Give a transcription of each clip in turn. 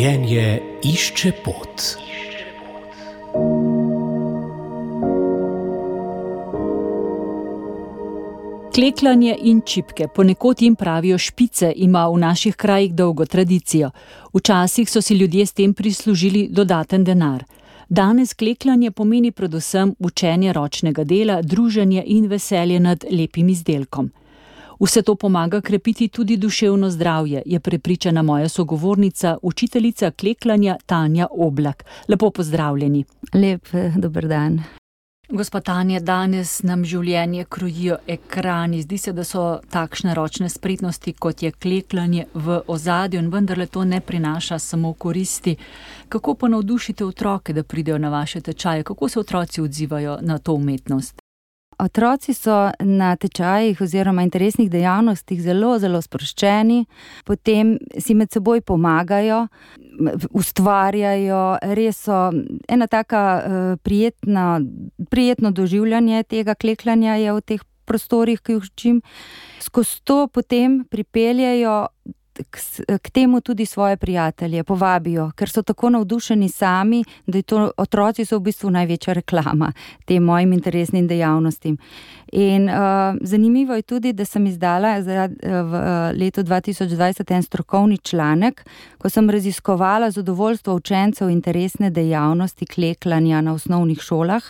Življenje išče pot. Klekljanje in čipke, ponekod jim pravijo špice, ima v naših krajih dolgo tradicijo. Včasih so si ljudje s tem prislužili dodaten denar. Danes klekljanje pomeni predvsem učenje ročnega dela, druženje in veselje nad lepim izdelkom. Vse to pomaga krepiti tudi duševno zdravje, je prepričana moja sogovornica, učiteljica klekljanja Tanja Oblak. Lepo pozdravljeni. Lep dober dan. Gospa Tanja, danes nam življenje krojijo ekrani. Zdi se, da so takšne ročne spretnosti, kot je klekljanje, v ozadju in vendarle to ne prinaša samo koristi. Kako pa navdušite otroke, da pridejo na vaše tečaje? Kako se otroci odzivajo na to umetnost? Otroci so na tečajih oziroma interesnih dejavnostih zelo sproščeni, potem si med seboj pomagajo, ustvarjajo, res so ena taka prijetno doživljanje tega klekljanja je v teh prostorih, ki jih učim. Skozi to potem pripeljejo k temu tudi svoje prijatelje, povabijo, ker so tako navdušeni sami, da otroci so v bistvu največja reklama tem mojim interesnim dejavnostim. In zanimivo je tudi, da sem izdala v letu 2020 en strokovni članek, ko sem raziskovala zadovoljstvo učencev interesne dejavnosti klekljanja na osnovnih šolah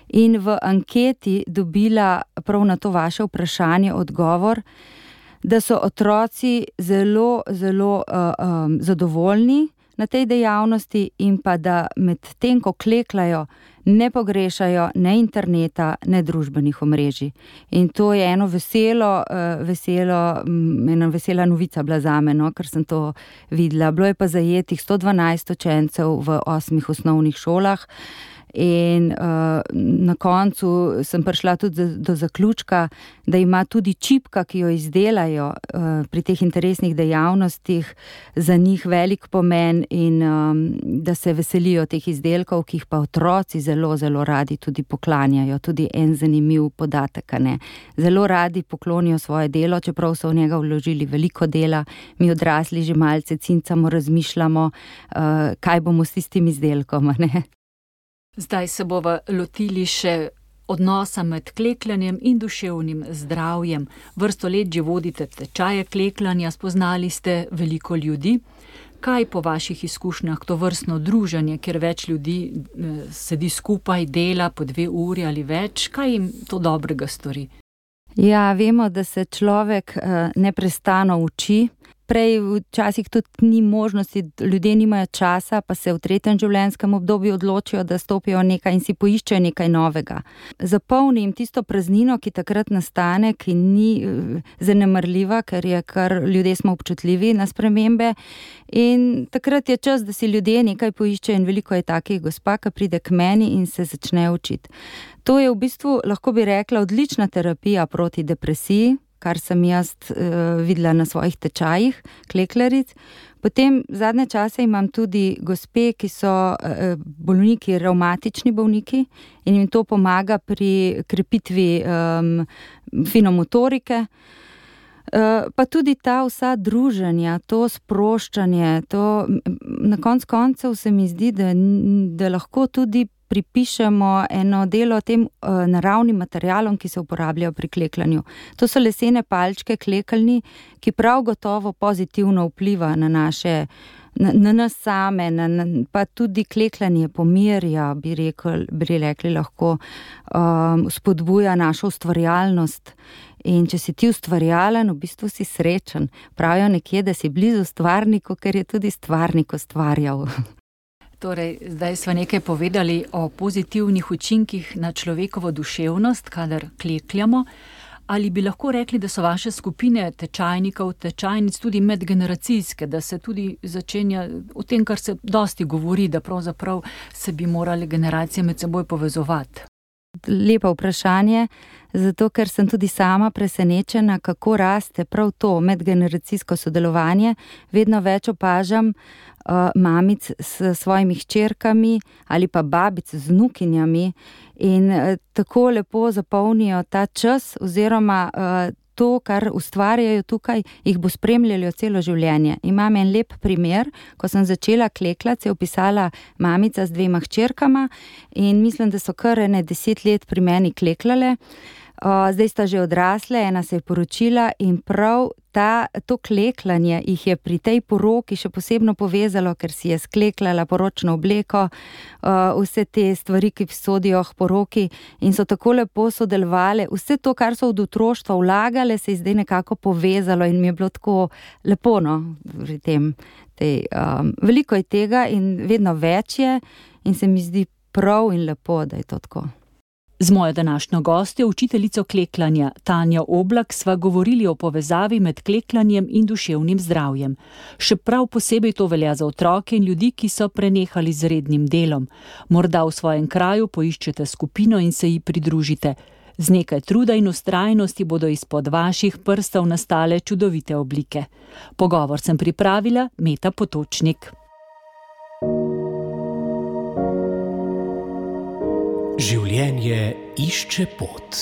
in v anketi dobila prav na to vaše vprašanje odgovor, da so otroci zelo zadovoljni na tej dejavnosti in pa da med tem, ko klekljajo, ne pogrešajo ne interneta, ne družbenih omrežij. In to je ena vesela novica bila zame, ker sem to videla. Bilo je pa zajetih 112 učencev v 8 osnovnih šolah. In na koncu sem prišla tudi do zaključka, da ima tudi čipka, ki jo izdelajo pri teh interesnih dejavnostih, za njih velik pomen in da se veselijo teh izdelkov, ki jih pa otroci zelo radi tudi poklanjajo. Tudi en zanimiv podatek, ne. Zelo radi poklonijo svoje delo, čeprav so v njega vložili veliko dela. Mi odrasli že malce cincamo, razmišljamo, kaj bomo s tistim izdelkom, ne. Zdaj se bova lotili še odnosa med klekljanjem in duševnim zdravjem. Vrsto let že vodite tečaje klekljanja, spoznali ste veliko ljudi. Kaj po vaših izkušnjah to vrstno druženje, kjer več ljudi sedi skupaj, dela po 2 uri ali več, kaj jim to dobrega stori? Ja, vemo, da se človek neprestano uči. Prej včasih tudi ni možnosti, ljudje nimajo časa, pa se v 3. življenjskem obdobju odločijo, da stopijo nekaj in si poiščejo nekaj novega. Zapolni jim tisto praznino, ki takrat nastane, ki ni zanemarljiva, ker je ljudje smo občutljivi na spremembe. In takrat je čas, da si ljudje nekaj poiščejo in veliko je takih gospa, ki pride k meni in se začne učiti. To je v bistvu, lahko bi rekla, odlična terapija proti depresiji, kar sem jaz videla na svojih tečajih klekljaric. Potem zadnje čase imam tudi gospe, ki so bolniki, revmatični bolniki in jim to pomaga pri krepitvi finomotorike. Pa tudi ta vsa druženja, to sproščanje, to na koncev se mi zdi, da lahko tudi pripišemo eno delo tem naravnim materialom, ki se uporabljajo pri klekljanju. To so lesene palčke klekeljni, ki prav gotovo pozitivno vpliva na nas same, pa tudi klekljanje pomirja, bi rekli lahko, spodbuja našo ustvarjalnost. In če si ti ustvarjalen, v bistvu si srečen. Pravijo nekje, da si blizu stvarniku, ker je tudi stvarnik ustvarjal. Torej, zdaj smo nekaj povedali o pozitivnih učinkih na človekovo duševnost, kadar klekljamo. Ali bi lahko rekli, da so vaše skupine tečajnikov, tečajnic tudi medgeneracijske, da se tudi začenja o tem, kar se dosti govori, da pravzaprav se bi morali generacije med seboj povezovati? Lepo vprašanje. zato ker sem tudi sama presenečena, kako raste prav to medgeneracijsko sodelovanje. Vedno več opažam mamic s svojimi hčerkami ali pa babic z vnukinjami in tako lepo zapolnijo ta čas oziroma to, kar ustvarjajo tukaj, jih bo spremljalo celo življenje. Imam en lep primer, ko sem začela kleklati, se je vpisala mamica z 2 hčerkama in mislim, da so kar 10 let pri meni kleklale. Zdaj sta že odrasle, ena se je poročila in prav to kleklanje jih je pri tej poroki še posebno povezalo, ker si je skleklala poročno obleko, vse te stvari, ki sodijo k poroki in so tako lepo sodelovali. Vse to, kar so od otroštva vlagale, se je zdaj nekako povezalo in mi je bilo tako lepo, pri tem. Veliko je tega in vedno več je in se mi zdi prav in lepo, da je to tako. Z mojo današnjo gostjo, učiteljico kleklanja Tanjo Oblak, sva govorili o povezavi med kleklanjem in duševnim zdravjem. Še prav posebej to velja za otroke in ljudi, ki so prenehali z rednim delom. Morda v svojem kraju poiščete skupino in se ji pridružite. Z nekaj truda in vztrajnosti bodo izpod vaših prstov nastale čudovite oblike. Pogovor sem pripravila Meta Potočnik. Življenje išče pot.